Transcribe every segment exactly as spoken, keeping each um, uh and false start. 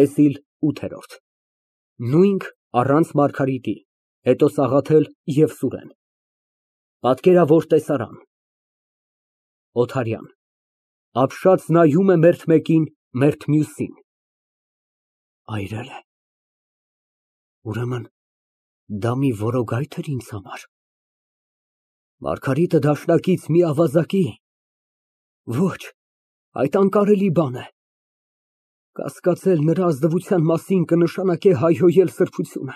ՏԵՍԻԼ ՈՒԹԵՐՈՐԴ Նույնք առանց Մարգարիտի, հետո Սաղաթել և Սուրեն Պատկերավոր տեսարան ՕԹԱՐՅԱՆ ֊ (Ապշած նայում է մերթ մեկին, մերթ մյուսին) Այրե՞լ է, ուրեմն դա մի որոգա՞յթ էր ինձ համար, Մարգարիտը դաշնակից մի ավազակի, ոչ, այդ անկարելի բան է, կասկածել նրա ազնվության մասին կնշանակե հայհոյել սրբությունը,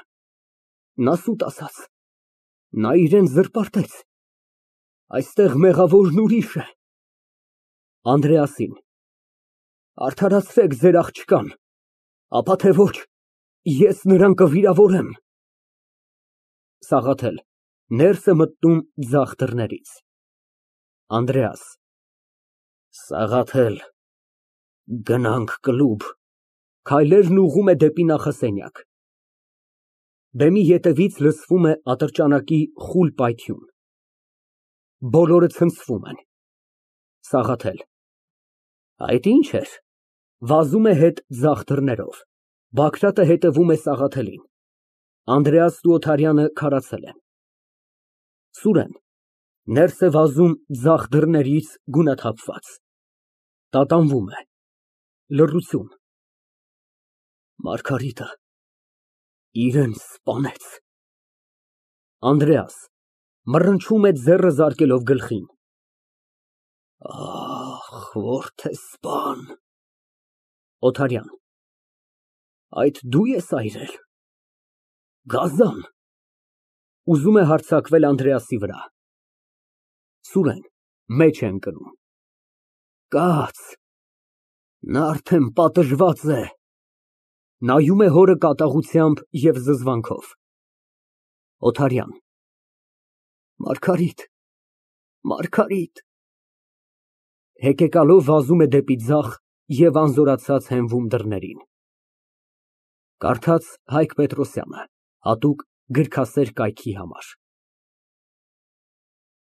նա սուտ ասաց, նա իրան զրպարտեց, այստեղ մեղավորն ուրիշ է։ (Անդրեասին) Արդարացրեք ձեր աղջկան, ապա թե ոչ, ես նրան կվիրավորեմ։ (Սաղաթել ներս է մտնում ձախ դռներից)։ ԱՆԴՐԵԱՍ ֊ Սաղաթել, գնանք կլուբ։ (Քայլերն ուղղում է դեպի նախասենյակ)։ Բեմի ետևից լսվում է ատրճանակի խուլ պայթյուն։ Բոլորը ցնցվում են։ ՍԱՂԱԹԵԼ ֊ Այդ ի՞նչ էր, վազում է հետ ձախ դռներով, Բագրատը հետևում է Սաղաթելին, Անդրեասն ու Օթարյանը քարացել են։ ՍՈՒՐԵՆ ֊ Ներս է վազում ձախ դռներից գունաթափված, տատանվում է, լռություն։ Մարգարիտը իրան սպանեց։ ԱՆԴՐԵԱՍ ֊ (Մռնչում է ձեռքը զարկելով գլխին) Ահ, որդեսպան։ ՕԹԱՐՅԱՆ ֊ Այդ դու ես այրել, գազան։ (Ուզում է հարձակվել Անդրեասի վրա)։ ՍՈՒՐԵՆ ֊ (Մեջ է ընկնում) Կաց, նա արդեն պատժված է։ (Նայում է հորը կատաղությամբ և զզվանքով) ՕԹԱՐՅԱՆ ֊ Մարգարիտ, Մարգարիտ։ (Հեկեկալով վազում է դեպի ձախ և անզորացած հենվում դռներին)։ Կարդաց Հայկ Պետրոսյանը, հատուկ գրքասեր կայքի համար։